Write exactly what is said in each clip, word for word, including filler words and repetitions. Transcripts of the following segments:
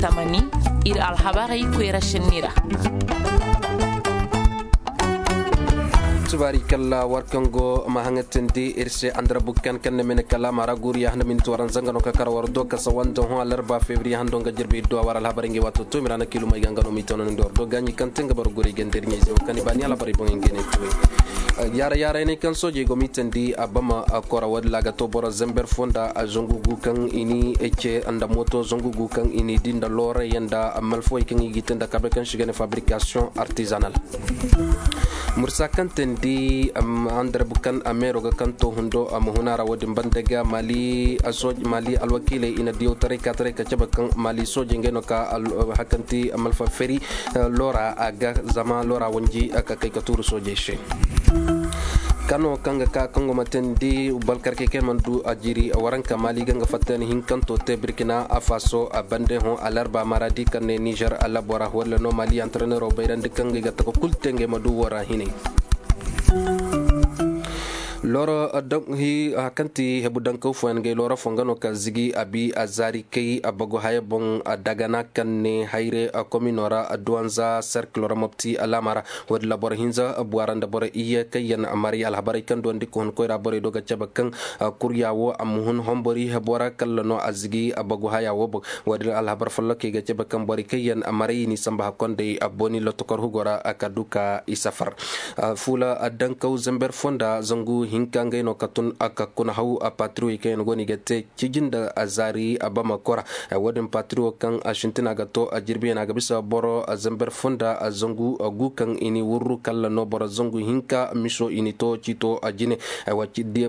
Tamani, ir alhabarey koyra senni ra. Subaari kalla war kaŋ go ma haŋatandi ir se andarabu kan kan na mene kala mara guriya handa minit waran zanga no ka kar war do kasa wanda hõ alarba febriye hando nga jirbi iddu a war alhabarey ngi wato to mirana kilumey ga nga no mi tono ni dor do gaɲi kan te nga bar guri gandar ɲey ze wo kani bani alhabarey boŋ ngene tuwe. Yara yara ne kan soojey go mi tandi a bama a kora wadi laga to boro zember fonda a zangu gu kan ini ece nda moto zangu gu kan ini di nda lorey nda malfoy kan i gi te nda kabe kan sigane fabrication artisanal. Mursa kan tandi andarabu kan a meero ga kan to hundo a muhuna ra wadin banda ga mali alwakiiley i na diyaw taray ka taray ka cabe kan mali soojey ngey no ka hakanti malfa feri lora a ga zama lora wanji ka kay ka tuuru soojey se. Kano kaŋ ga ka kaŋ go ma tandi balkarkey kaŋ man du a jiri waranka mali ga nga fattani hinkanto te birkina a faso a bande hõ alarba maradi kaŋ ne nizer alabora walla no mali antrenero bayrandi kaŋ ga i ga taka kulu te ngey ma du wora hinay. Loro hi kaŋ ti hebu dankaw fooyaŋ gay loro fo nga no ka zigi a bi a zaari kay a bagu haya boŋ a dagana kaŋ ne hayre a komino ra a duwanza serkil ra mopti alaama ra. Wo-din ra boro hinza buwara nda boro iyye kaŋ yaŋ maray alhabarey kaŋ duwandi ka hun koyra borey do ga cabe kaŋ kurya wo a ma hun hombori hebu ra kalla no a zigi a bagu haya wo boŋ. Wo-din alhabar follokey ga cabe kaŋ borey kaŋ yaŋ maray i n'i samba hakkondey a booni lotokor hugo ra a ka du ka i safar. Fuula addankaw zember fonda zangu hinka ngey no ka tun a ka kuna haw a patiriwey kaŋ yaŋ go no i ga te cijin da a zaari a bamako ra. Wo-din patiriwo kaŋ a sintina ga to a jirbiyaŋ a ga bisa boro a zember fonda a zangu a gu kaŋ i ni wurru kalla no boro zangu hinka miso i ni to ciito a jine.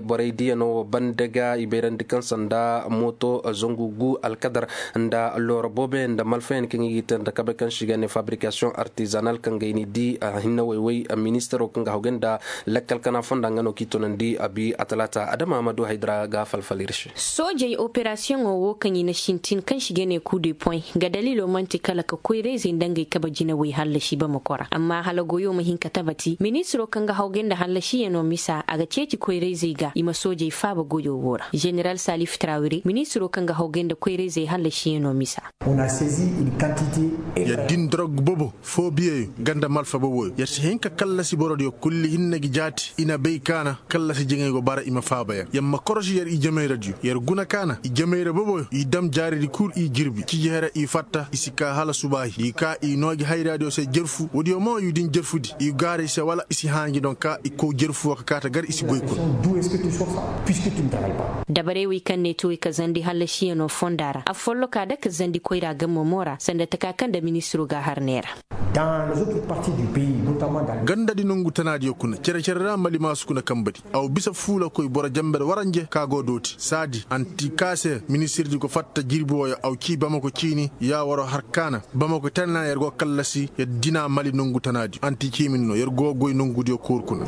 Borey diya no wo banda ga i bayrandi kaŋ sanda mooto zangu gu alkadar nda looro booboyaŋ nda malfayaŋ kaŋ i ga i te nda kabe kaŋ se i ga ne fabrikasiyoŋ artizanal kaŋ ga i ni di a hinne way-way ministaro kaŋ ga hawgay nda lakkal kana fonda nga no kaŋ i tunandi a bi a talaata adama ma du haydara ga falfal ir se. Soojey operasiyoŋo wo kaŋ i na sintin kaŋ se i ga ne kuu de poy ga daliilo man'ti kala ka koyra-izey nda ngey kabe jinawey hallasi bamako ra amma hala goyo ma hin ka tabati ministiro kaŋ ga hawgay nda hallasiyaŋo misa a ga ceeci koyra-izey ga i ma soojey faaba goyo wo ra. Ženeral salif trawire ministiro kaŋ ga hawgay nda koyra-izey hallasiyaŋo misa. Yer din dorog bobo foo biyeyo ganda malfa boboyo yer si hin ka kallasi borodiyo kulli hinne ga jaati i na bay kaana kallasi jiŋay go bara i ma faaba yer yer ma korosi yer i jamayradiyo yer guna kaana i jamayra boboyo i dam jaaridi kul i jirbi ciji here i fatta i si kaa hala subaahi i kaa i noogi hayraadiyo se jerfu woodiyo mo i din jerfudi i gaara i se wala i si haanji doŋ ka i kow jerfu wo ka kaata gar i si goy kuna. Dabarey wey kaŋ ne tuwey ka zandi hallasiyaŋo fonda ra afolloka da ka zandi koyra gammo mo ra sanda taka kaŋ nda ministiro ga a har neera. Gandadi nongu tanaadiyo kuna cere-cere ra mali maasu kuna kambadi a wa bisa fuulakoy boro jamber waranje ka go dooti saadi anti ka se ministirdi go fatta jirbi wooyo a wa cii bamako ciini yaawaro har kaana bamako tana yer go kallasi yer dina mali nongu tanaadiyo anti ciimin no yer go goy nongudiyo kuur kuna.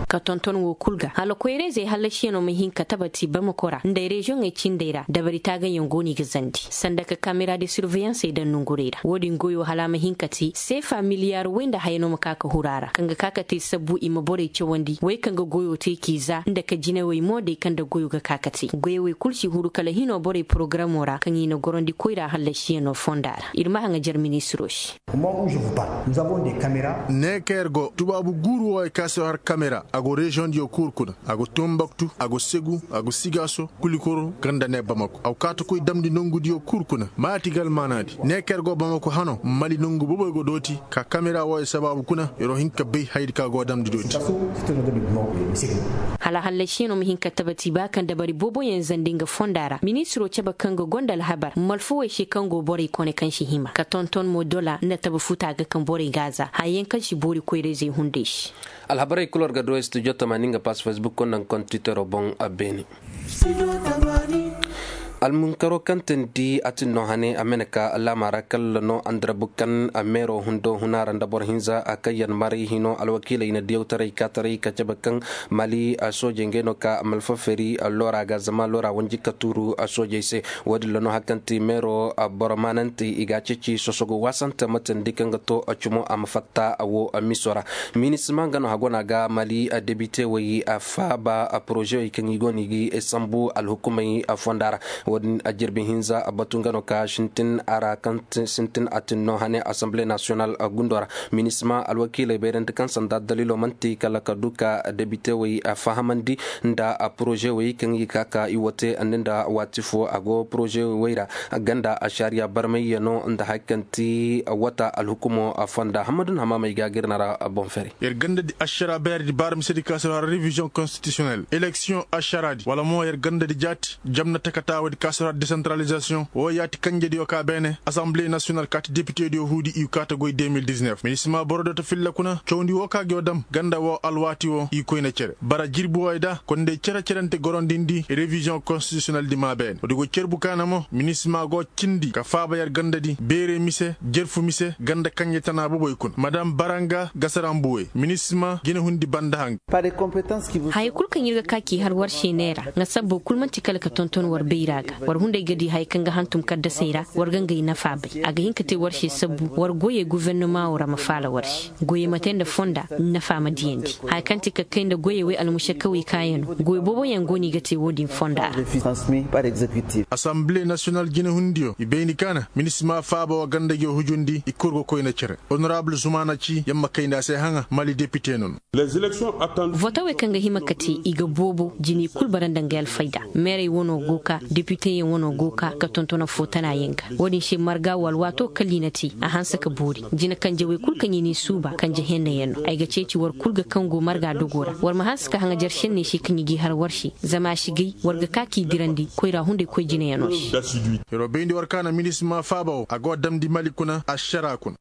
Ka tonton wo kul ga hala koyra-izey hallasiyaŋo ma hin ka tabati bamako ra nda reziyoŋey cindey ra dabari taagaŋyaŋ go no i ga zandi sanda ka kamera de surveyansey daŋ nongurey ra wo-din goyo hala a ma hin ka te seefa miliyaar way nda haya no ma ka ka huru a ra kaŋ ga ka ka te sabbu i ma borey cawandi way kaŋ ga goyo te k'i za nda ka jinawey mo day kaŋ nda goyo ga ka ka te goyowey kul si huru kala hino borey porogaramo ra kaŋ i na gorandi koyra hallasiyaŋo fonda ra ir ma haŋajer ministiro se. Ne ka yer go tubaabu guuru wooyo ka se har kamera a go reziyoŋdiyo kuur kuna a go tumbaktu a go segu a go sigaaso kulikoro ganda ne bamako a go kaa ta koy damndi nongudiyo kuur kuna maati ga almaanaadi ne ka yer go bamako hano mali nongu boboy go dooti ka kamera wooyo sabaabu kuna yer wo hin ka bay hayadi ka go damndi dooti. Hala hallasiyaŋo ma hin ka tabati ba kaŋ dabari booboyaŋ zandi nga fonda ra ministiro cabe kaŋ ga gonda alhabar malfawey se kaŋ go borey kone kaŋ si hima ka tonton mo dola nda tabe futa ga kaŋ borey ga a za haya yaŋ kaŋ si boori koyra-izey hunday se. Alhabarey kul war ga du studio tamaani nga pass facebook konda nga kontitero boŋ a beene. Almunkaro kaŋ tandi a tin no hane a mene ka laama ra kalla no andarabu kaŋ a meero hundo huna ra nda boro hinza a kaŋ yaŋ maray hino alwakiiley na diyawtaray kaataray ka cabe kaŋ mali soojey ngey no ka malfa feri loora ga zama loora wanji ka tuuru soojey se. Wo-din ra no hari kaŋ ti meero boro maananti i ga a ceeci sosogo waasante matandi kaŋ ga to cumo a ma fatta wo miso ra. Minisima nga no hagona ga mali debitewey faaba porozewey kaŋ i go no i ga sambu alhukumey fonda ra. Wo-din a jirbi hinza a batu nga no ka sintin a ra kaŋ sintin a tin no hane assemble national gundo ra. Minisma alwakiiley bayrandi kaŋ sanda daliilo manti kala ka du ka debite wey fahamandi nda poroze wey kaŋ i ga ka ka i wote nda waati fo a go poroze wey ra ganda a sariya barmayyaŋo nda hari kaŋ ti wata alhukumo fonda hamadun hamaamey ga ga ir na ra boŋ fere. Yer ganda di ašara bayar di baara mise di ka se ra revision constitutionnel election ašara di wala mo yer ganda di jaati jamna takataawo di ka se ra decentralisation wo yaati kanjediyo ka beene assemble national kaati depite diyo huudi i kaata goy deux mille dix-neuf minisma boro do ta filla kuna cawndi wo ka go dam ganda wo alwaati wo i koyna cere bara jirbi wo ay da kondey cere-cerante gorondindi revision constitutionnel di ma beene wo di go cerbu kaana mo minisma go cindi ka faaba yer ganda di beere mise jerfu mise ganda kanje tana boboy kuna madam baranga gasarambuwe minisma jine hundi banda hanga. Haya kul kaŋ ir ga ka k'i har war se neera nga sabbo kul man'ti kala ka tonton war bayra ga war hunday ga di haya kaŋ ga hantum kaddasey ra war ga ngey nafa bay a ga hin ka te war se sabbu war goyey guvernama wo ra ma faala war se goyey ma te nda fonda nafa ma diyandi haya kaŋ ti ka kay nda goyey wey almušakawey kaayano goy booboyaŋ go no i ga te wo-din fonda ra. Assemble national jinehundiyo i bayndi kaana minisma faaba wa ganda gi hujundi i kul ga koyna cere honorable zumaana ci yamma kayndi a se haŋa mali depite no no. Votawey kaŋ ga hima ka te i ga boobo jiney kul bara nda ngey alfayda meerey wano go ka depiteyaŋ wano go ka ka tonton affoo tana yaŋ ga wo-din se marga wo alwaato kala i na te a hanse ka boori jina kanjawey kul kaŋ i n'i suuba kanje henna yaŋ no ay ga ceeci war kul ga kaŋ go marga dogo ra war ma hanse ka haŋajer senney se kaŋ i g'i har war se zama a si gay war ga ka k'i dirandi koyra hunday koy jinayaŋo se. Yeroo bayndi war kaana minisma faaba wo a go damndi mali kuna ašara kuna.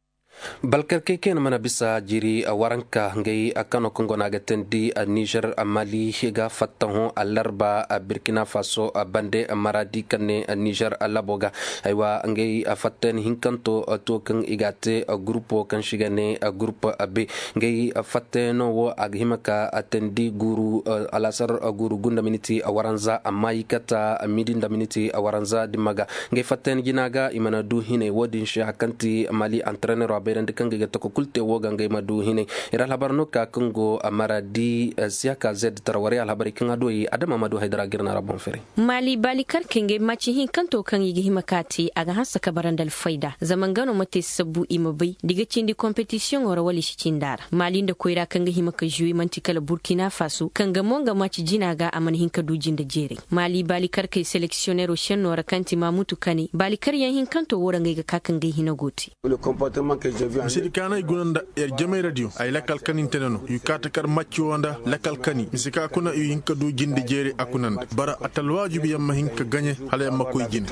Balkarkey kaŋ yaŋ mana bisa jiri waranka ngey kano kaŋ go no a ga teendi nizer mali ga fattaho alarba birkina faso bande maradi kaŋ ne nizer labo ga haywa ngey fattayaŋ hinkanto to kaŋ i ga a te gurupo kaŋ se i ga ne gurup be ngey fattayaŋo wo a ga hima ka teendi guuru alasar guuru gu nda miniti waranza amma i kata midi nda miniti waranza dimma ga ngey fattayaŋ jina ga i mana du hinay wo-din se hari kaŋ ti mali antrenero a bayrandi kaŋ ga i ga tako kul te wo ga ngey ma du hinay ir alhabar no ka kaŋ go maradi siyaka zed tara warey alhabarey kaŋ a du ay adama ma du haydara ga ir na ra boŋ fere. Mali baali karkey ngey maci hinkanto kaŋ i ga hima ka te a ga hanse ka bara nda alfayda zama nga no ma te sabbu i ma bay da i ga cindi kompetisiyoŋo ra wala i si cindi a ra mali nda koyra kaŋ ga hima ka zuwe man'ti kala burkina faso kaŋ ga mo nga maci jina ga a mana hin ka du jinde jeeray mali baali karkey seleksiyonero senno ra kaŋ ti mamutu kane baali karyaŋ hinkanto wo ra ngey ga ka ka ngey hina go te. Mise di kaana i guna nda yer jamay radiyo ay lakal kani nte ne no i kaata kar macci wo nda lakal kani mise ka kuna i hin ka du jinde jeeray a kuna nda bara a talwaajubi yer ma hin ka gaɲe hala yer ma koy jine.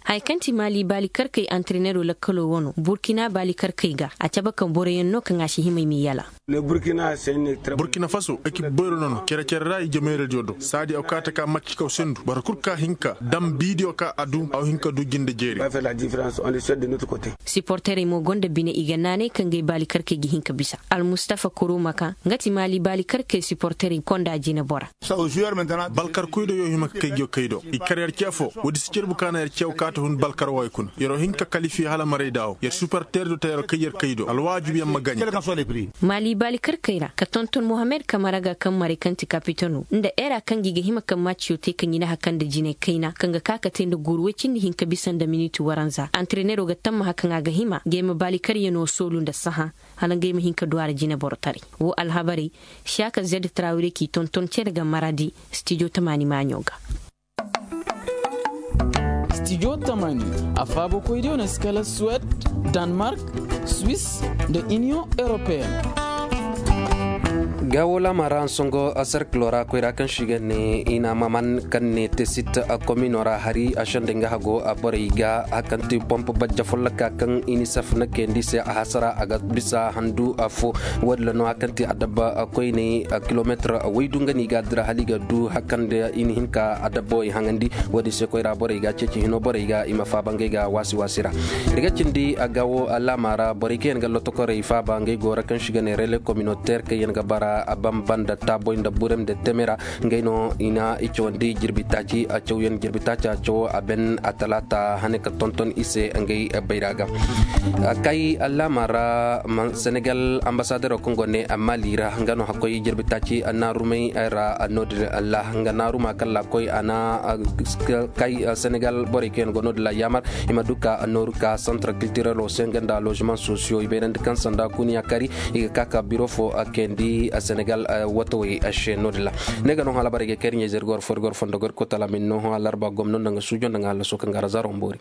Haya kaŋ ti mali baali karkey antrenero lakkalo wano burkina baali karkey ga a cabe kaŋ boroyaŋ no kaŋ a si hima i m'i yala. Burkina faso ekip boyro no no cere-cere ra i jameeradiyo do saadi aw ka taka macci kaw sendu boro kul ka hin ka dam biidiyo ka a du aw hin ka du jinde jeeri. Siporterey mo gonda bine i ga naanay kaŋ gay baali karkey ga hin ka bisa almustafa koroma ka nga ti maali baali karkey siporterey konda jine bora. Balkarkoy do yo hima ka kay jo kay do i kar yer ce fo woodi si cerbu kaana yer cew kaata hun balkar way kuna yeroo hin ka kalifi hala maray daawo yer superter do ta yeroo kay yer kay do alwaajib yer ma gaɲe. Maali baali karkey ra ka tonton mohamed kamara ga kaŋ maray kaŋ ti kapitano nda era kaŋ gi ga hima kaŋ maciyo te kaŋ i na haka nda jinay kayna kaŋ ga ka ka te nda guuru way cindi hinka bisa nda miniti waranza antrenero ga tammaha kaŋ a ga hima ga ay ma baali karyano soolu nda saha hala nga ay ma hin ka du a ra jineborotaray. Wo alhabarey, siyaka zed trawire k'i tonton cere ga maradi, stijo tamaani maaɲo ga. Stijo tamaani, a faabokoydiyo na si kala suwed, danmark, swis, nda iniyoŋ europeen. Gaawo laama ra nsongo serkilo ra koyra kaŋ si ga ne i na maman kaŋ ne tesit komino ra hari a sendey nga hago borey ga hakanti pomp bajja folloka kaŋ inisef na kayandi se a hasara a ga bisa handu fo. Wo- din ra no hakanti adabba koyney kilometir waydu nga no i ga a dira hala i ga du hakande i na hin ka adabba wo i haŋandi. Wo- din se koyra borey ga ceeci hino borey ga i ma faaba ngey ga waasi waasi ra. Ir ga cindi a ga wo laama ra borey kaŋ yaŋ ga lotokorey faaba ngey go ra kaŋ si ga ne rele kominoter kaŋ yaŋ ga bara. A ban banda taaboy nda burem nda temera. Ngey no i na i cawandi jirbi taaci a cawyan jirbi taaci a cawo a ben a talaata hane ka tonton i se ngey bayra ga. Kay laama ra senegal ambasadero kaŋ go ne mali ra nga no hakkoy jirbi taaci naarumey ra. Noodin ra nga naaruma kalla koy a na kay senegal borey kaŋ yaŋ go noodin ra yaamar i ma du ka nooru ka santar kiltirelo se nga nda lozement sosiyo i bayrandi kaŋ sanda kuniya kari i ga ka ka biro fo kayandi senegal watawey se noodin ra. Ne ga no hala barey ga kay iri ɲayzey iri go war fo iri go war fondo go iri kotala min no hõ alarba gomno nda nga suujo nda nga hallaso kaŋ ga razaro mboori.